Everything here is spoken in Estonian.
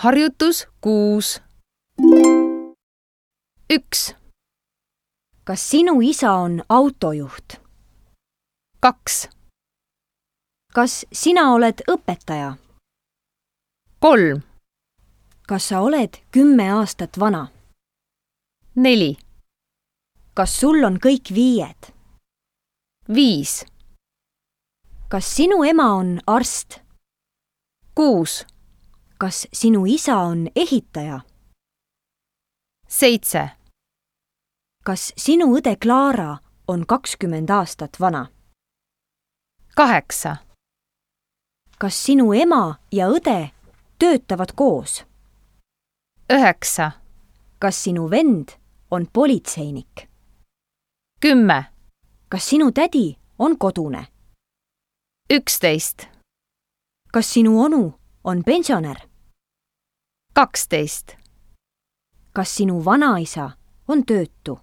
Harjutus 6. 1, Kas sinu isa on autojuht? 2, Kas sina oled õpetaja? 3, Kas sa oled 10 aastat vana? 4, Kas sul on kõik 5? 5, Kas sinu ema on arst? 6, Kas sinu isa on ehitaja? 7, Kas sinu õde Klaara on 20 aastat vana? 8, Kas sinu ema ja õde töötavad koos? 9, Kas sinu vend on politseinik? 10, Kas sinu tädi on kodune? 11, Kas sinu onu on pensionär? 12, Kas sinu vanaisa on töötu?